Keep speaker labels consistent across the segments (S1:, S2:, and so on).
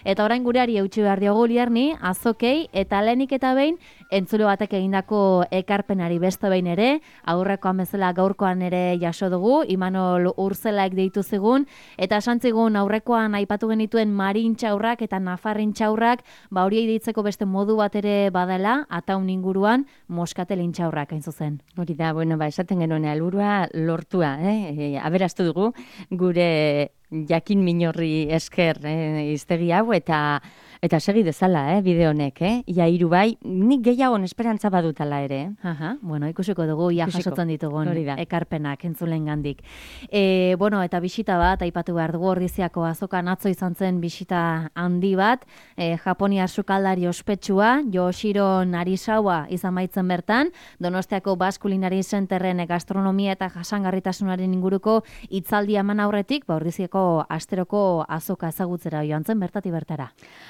S1: Eta orain gureari eutxi behar diogu Lierni, azokei, eta lehenik eta behin, entzule batek egindako ekarpenari beste behin ere, aurrekoan bezala gaurkoan ere jaso dugu, Imanol Urzelaek deitu zigun, eta esan zigun aurrekoan aipatu genituen marin txaurrak eta nafarrin txaurrak, horiei deitzeko beste modu bat ere badela, ataun inguruan moskatelin txaurrak hain zuzen.
S2: Hori da, esaten genuen helburua lortua, aberastu dugu, gure jakin minorri esker hiztegi hau, eta segi dezala, bide honek, ia hiru bai, nik gehiagon esperantza badutala ere.
S1: Ikusiko dugu, ia jasotzen ditugun ekarpenak entzulen gandik. Eta bisita bat, aipatu behar dugu Ordiziako azokan atzo izan zen bisita handi bat, Japoniar sukaldari ospetsua, Yoshiro Narisawa izan baitzen bertan, Donostiako Basque Culinary Centerren gastronomia eta jasangarritasunaren inguruko hitzaldia eman aurretik, Ordiziako asteroko azoka ezagutzera joan zen bertatik bertara.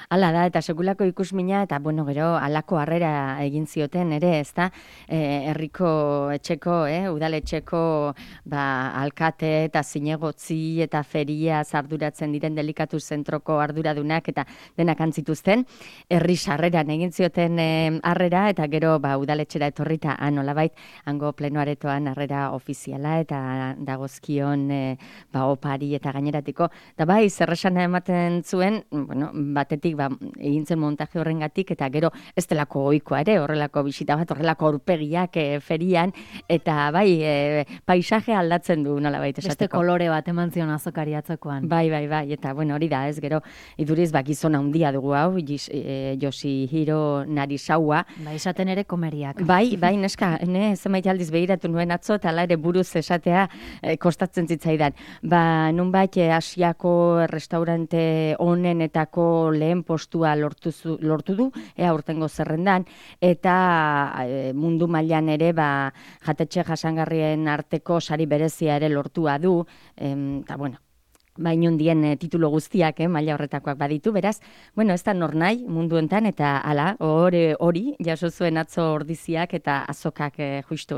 S2: Hala da, eta sekulako ikusmina, eta gero halako harrera egin zioten ere, ezta, herriko etxeko, udaletxeko alkate eta zinegotzi eta feria arduratzen diren delikatu zentroko arduradunak eta denak antzituzten, herri sarreran egin zioten harrera, eta gero udaletxera etorrita nolabait hango plenoaretoan harrera ofiziala eta dagozkion opari eta gaineratiko. Da zerresana ematen zuen, batetik egin zen montaje horrengatik, eta gero ez delako ohikoa ere, horrelako bisita bat, horrelako aurpegiak ferian, eta paisaje aldatzen du nolabait esateko.
S1: Beste kolore bat eman zion azokari atzokoan.
S2: Bai, eta hori da, ez gero, iduriz gizona handia dugu hau, Yoshihiro Narisawa.
S1: Esaten ere komeriak.
S2: Bai, neska, zenbait aldiz begiratu nuen atzo, eta ere buruz esatea kostatzen zitzaidan. Nunbait Asiako restaurante honenetako lehen postua lortu du, aurtengo zerrendan, eta mundu mailan ere jatetxe jasangarrien arteko sari berezia ere lortua du, eta inundien titulo guztiak, maila horretakoak baditu, beraz, ez da nor nahi mundu enten, eta hala, hori, jaso zuen atzo Ordiziak eta azokak justu,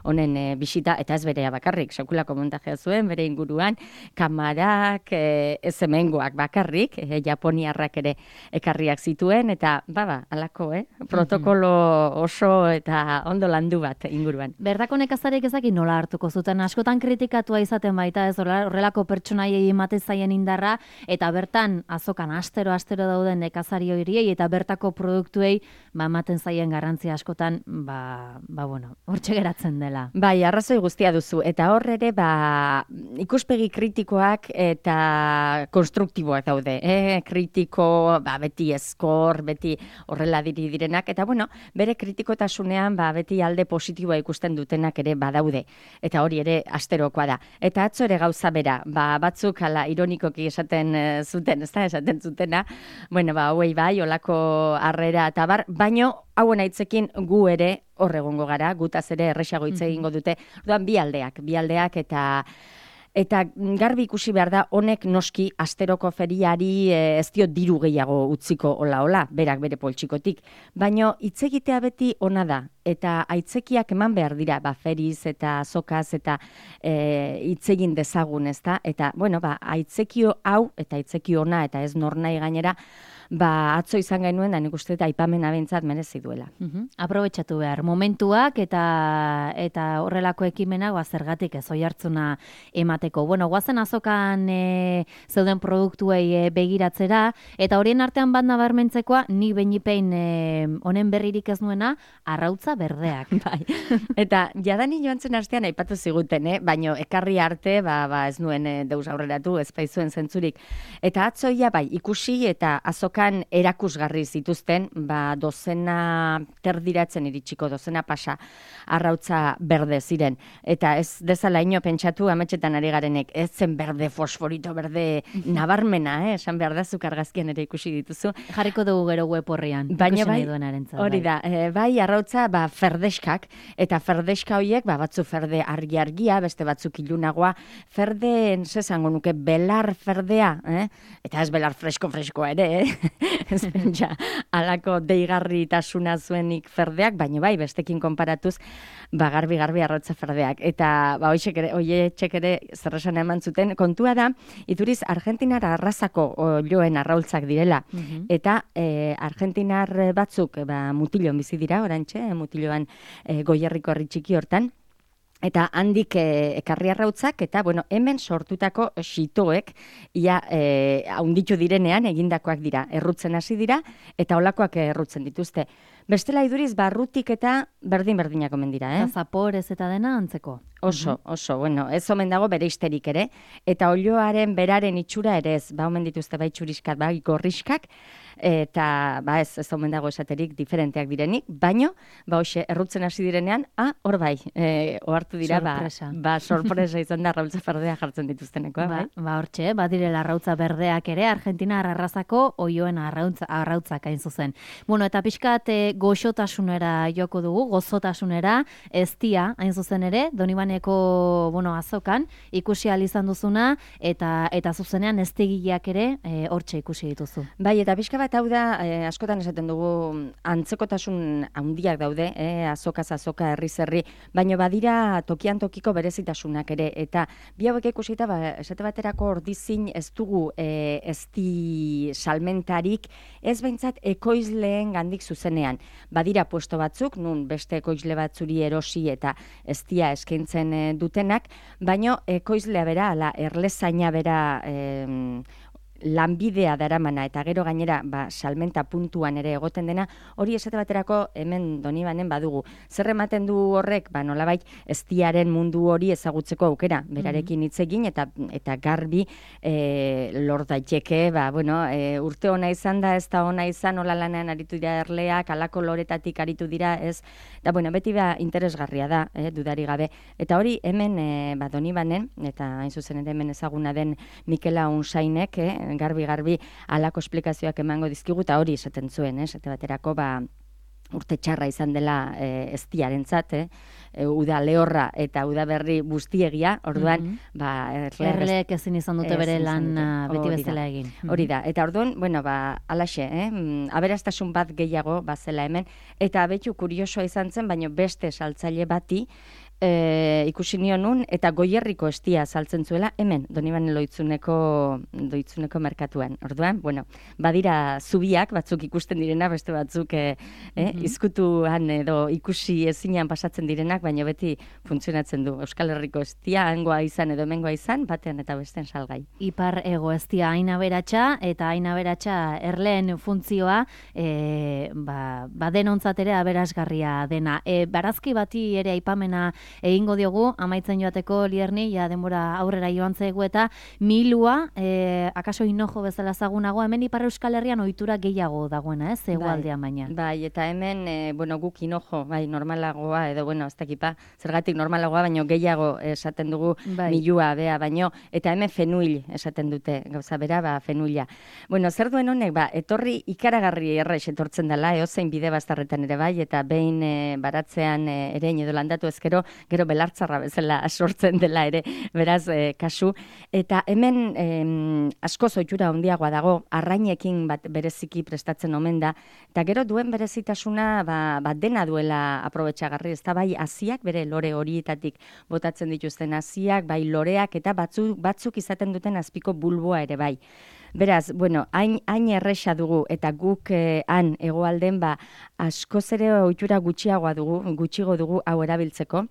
S2: honen bisita, eta ez berea bakarrik, sekulako montajea zuen, bere inguruan, kamarak, ez hemengoak bakarrik, japoniarrak ere ekarriak zituen, eta halako, protokolo oso eta ondo landu bat inguruan.
S1: Bertako nekazarek ezaki nola hartuko zuten, askotan kritikatua izaten baita, ez horrelako pertsonaiei ematen zaien indarra, eta bertan azokan astero dauden nekazari horiei eta bertako produktuei ematen zaien garrantzia askotan, hortxe geratzen dela.
S2: Arrazoi guztia duzu, eta hor ere ikuspegi kritikoak eta konstruktiboak daude, kritiko, beti eskor, beti horrela direnak, eta bere kritikotasunean beti alde positiboa ikusten dutenak ere badaude, eta hori ere asterokoa da. Eta atzo ere gauza bera, batzuk ironikoki esaten zuten, ez da, esaten zutena, hauei olako harrera eta baino hauen aitzekin gu ere horregongo gara, gutaz ere erresago hitz egingo dute, bi aldeak eta garbi ikusi behar da, honek noski asteroko feriari ez dio diru gehiago utziko hola, berak bere poltsikotik, baino hitz egitea beti ona da, eta aitzekiak eman behar dira, feriz eta azokaz eta hitz egin dezagun, ezta? Eta, aitzekio hau, eta aitzekio ona, eta ez nor nahi gainera, atzo izan genuen, da nik uste eta aipamena bentsat merezi duela.
S1: Aprobetxatu behar, momentuak eta horrelako ekimenak zergatik ez oihartzuna emateko. Guazen azokan zeuden produktuei begiratzera, eta horien artean bat nabarmentzekoa, nik beinipein honen berririk ez nuena, arrautza berdeak.
S2: Eta jadani joan zen astean aipatu ziguten, baino ekarri arte, ez nuen deus aurreratu, ez baizuen zentzurik. Eta atzoia ikusi eta azokan erakusgarri zituzten, dozena terdiratzen iritsiko, dozena pasa arrautza berde ziren. Eta ez dezala ino pentsatu, ametxetan ari garenek, ez zen berde, fosforito berde nabarmena, esan behar da, zukargazkian ere ikusi dituzu.
S1: Jarriko dugu gero web horrian, ikusi nahi duenarentzat.
S2: Hori da, arrautza ferdeskak, eta ferdeska horiek, batzu ferde argi-argia, beste batzuk ilunagoa, ferdeen, zezango nuke, belar ferdea, eta ez belar fresko-freskoa ere, ez pentsa, alako deigarritasuna zuenik ferdeak, baina bestekin konparatuz, garbi arrautza ferdeak. Eta hoietxek ere zer esan eman zuten. Kontua da, iduriz Argentinar arrazako oioen arraultzak direla, eta Argentinar batzuk Mutilloan bizi dira, orantxe, Mutilloan Goierriko herri txiki hortan, eta handik ekarri arrautzak, eta hemen sortutako xitoek ia haunditu direnean egindakoak dira, errutzen hasi dira, eta olakoak errutzen dituzte. Bestela iduriz, barrutik eta berdin-berdinak omen dira,
S1: Eta zaporez eta dena antzeko.
S2: Oso, ez omen dago bere histerik ere, eta olioaren beraren itxura ere ez, omen dituzte bai txuriskat, bai gorriskak, eta ez omen dago esaterik diferenteak direnik, baino, hoxe, errutzen hasi direnean, hor bai, ohartu dira, sorpresa izan da arrautza berdea jartzen dituztenekoa, bai?
S1: Hortxe, badirela arrautza berdeak ere, Argentina arrazako oioen arrautzak hain zuzen. Eta pixkat goxotasunera joko dugu, gozotasunera, eztia hain zuzen ere, Donibaneko azokan, ikusi ahal izan duzuna, eta zuzenean eztegileak ere hortxe ikusi dituzu.
S2: Bai, eta pixka bat hau da, askotan esaten dugu antzekotasun handiak daude, azokaz azoka, herriz herri, baino badira tokian tokiko berezitasunak ere, eta bi hauek ikusita, esate baterako ordizin ez dugu ezti salmentarik, ez behintzat ekoizleen gandik zuzenean. Badira puesto batzuk, nun beste ekoizle batzuri erosi eta eztia eskaintzen dutenak, baino ekoizlea bera, erlezaina bera lanbidea daramana eta gero gainera salmenta puntuan ere egoten dena, hori esate baterako hemen Donibanen badugu. Zer ematen du horrek, nolabait eztiaren mundu hori ezagutzeko aukera, berarekin hitz egin eta garbi lor daiteke, urte ona izan da, ez da ona izan, hola lanean aritu dira erleak, alako loretatik aritu dira, ez, da beti interesgarria da, dudari gabe. Eta hori hemen Donibanen, eta hain zuzen ere hemen ezaguna den Mikela Unsainek, garbi alako esplikazioak emango dizkigu, eta hori esaten zuen, esate baterako urte txarra izan dela eztiarentzat, uda lehorra eta uda berri buztiegia, orduan,
S1: erleek ezin izan dute bere lan beti bezala egin.
S2: Hori da, eta orduan, alaxe, aberastasun bat gehiago bazela hemen, eta betu kuriosoa izan zen, baina beste saltzaile bati, ikusi nionun, eta Goierriko eztia saltzen zuela, hemen, Donibanen doitzuneko merkatuan. Orduan, badira zubiak, batzuk ikusten direna, beste batzuk izkutuan edo ikusi ezinean pasatzen direnak, baina beti funtzionatzen du. Euskal Herriko eztia, hangoa izan edo hemengoa izan, batean eta besten salgai.
S1: Ipar ego eztia hain aberatsa, eta hain aberatsa erleen funtzioa, denontzat ere aberasgarria dena. Barazki bati ere aipamena egingo diogu, amaitzen joateko Lierni, denbora aurrera joan zaigu, eta milua, akaso Hinojo bezala zagunago, hemen Ipar Euskal Herrian ohitura gehiago dagoena, ez, hegoaldean baina.
S2: Bai, eta hemen, guk Hinojo, normalagoa, edo, ez dakipa, zergatik normalagoa, baino gehiago esaten dugu milua, baino, eta hemen fenuil esaten dute, gauza bera, fenuila. Zer duen honek, etorri ikaragarri errex etortzen dela, eozein bide bastarretan ere bai, eta behin baratzean ere edo landatu ezkero, gero belartzarra bezala sortzen dela ere, beraz, kasu. Eta hemen asko zoitura handiagoa dago, arrainekin bereziki prestatzen omen da, eta gero duen berezitasuna dena duela aprobetxagarri, ez da bai haziak, bere lore horietatik botatzen dituzten haziak, bai loreak, eta batzuk izaten duten azpiko bulboa ere bai. Beraz, hain erresa dugu, eta guk han egoalden askoz ere ohitura gutxigo dugu hau erabiltzeko,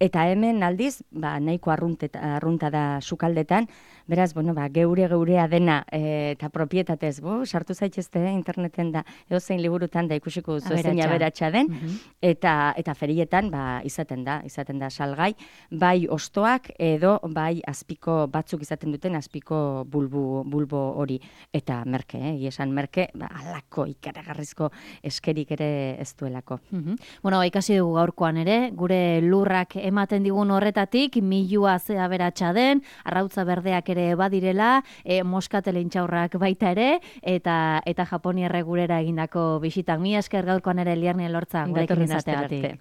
S2: eta hemen aldiz, nahiko arrunta da sukaldetan, beraz, geurea dena eta propietatez, sartu zaitezte interneten da, edozein liburutan da ikusiko duzu zein aberatsa den, eta ferietan izaten da salgai, bai ostoak edo bai azpiko batzuk izaten duten azpiko bulbo hori, eta merke, esan merke, alako ikaragarrizko eskerik ere ez duelako.
S1: Ikasi dugu gaurkoan ere, gure lurrak ematen digun horretatik, milua ze aberatsa den, arrautza berdeak ere badirela, moskatele intxaurrak baita ere, eta Japoniarrek gurera egindako bisitak. Mila esker gaurkoan ere Lierni Elortza gurekin izateagatik.